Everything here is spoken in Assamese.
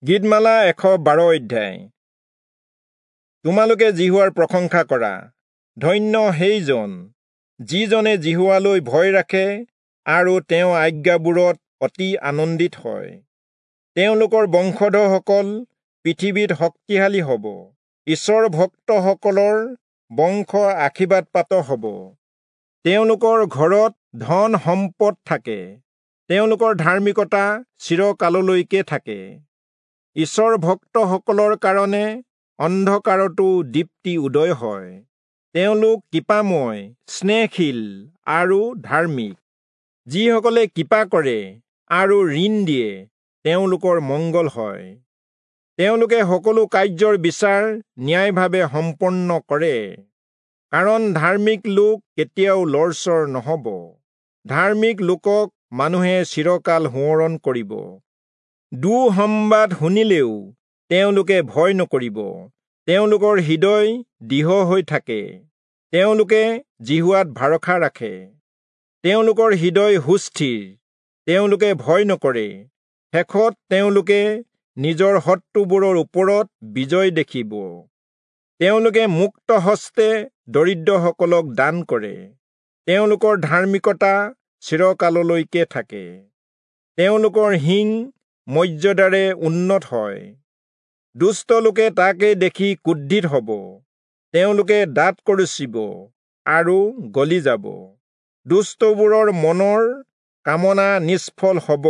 গীতমালা 112 অধ্যায়। তোমালোকে যিহোৱাৰ প্ৰশংসা কৰা। ধন্য সেইজন যিজনে যিহোৱালৈ ভয় ৰাখে আৰু তেওঁ আজ্ঞাবোৰত অতি আনন্দিত হয়। তেওঁলোকৰ বংশধৰসকল পৃথিৱীত শক্তিশালী হ'ব, ঈশ্বৰ ভক্তসকলৰ বংশ আশীৰ্বাদপ্ৰাপ্ত হ'ব। তেওঁলোকৰ ঘৰত ধন সম্পদ থাকে, তেওঁলোকৰ ধাৰ্মিকতা চিৰকাললৈকে থাকে। ঈশ্বৰ ভক্তসকলৰ কাৰণে অন্ধকাৰতো দীপ্তি উদয় হয়। তেওঁলোক কৃপাময়, স্নেহশীল আৰু ধাৰ্মিক। যিসকলে কৃপা কৰে আৰু ঋণ দিয়ে তেওঁলোকৰ মংগল হয়। তেওঁলোকে সকলো কাৰ্যৰ বিচাৰ ন্যায়ভাৱে সম্পন্ন কৰে। কাৰণ ধাৰ্মিক লোক কেতিয়াও লৰচৰ নহ'ব। ধাৰ্মিক লোকক মানুহে চিৰকাল সোঁৱৰণ কৰিব। দুঃসংবাদ শুনিলেও তেওঁলোকে ভয় নকৰিব। তেওঁলোকৰ হৃদয় দৃঢ় হৈ থাকে। তেওঁলোকে যিহোৱাত ভৰসা ৰাখে। তেওঁলোকৰ হৃদয় সুস্থিৰ, তেওঁলোকে ভয় নকৰে। শেষত তেওঁলোকে নিজৰ শত্ৰুবোৰৰ ওপৰত বিজয় দেখিব। তেওঁলোকে মুক্ত হস্তে দৰিদ্ৰসকলক দান কৰে। তেওঁলোকৰ ধাৰ্মিকতা চিৰকাললৈকে থাকে। তেওঁলোকৰ শিং মৰ্যাদাৰে উন্নত হয়। দুষ্ট লোকে তাকে দেখি ক্ৰোধিত হ'ব। তেওঁলোকে দাঁত কৰচিব আৰু গলি যাব। দুষ্টবোৰৰ মনৰ কামনা নিষ্ফল হ'ব।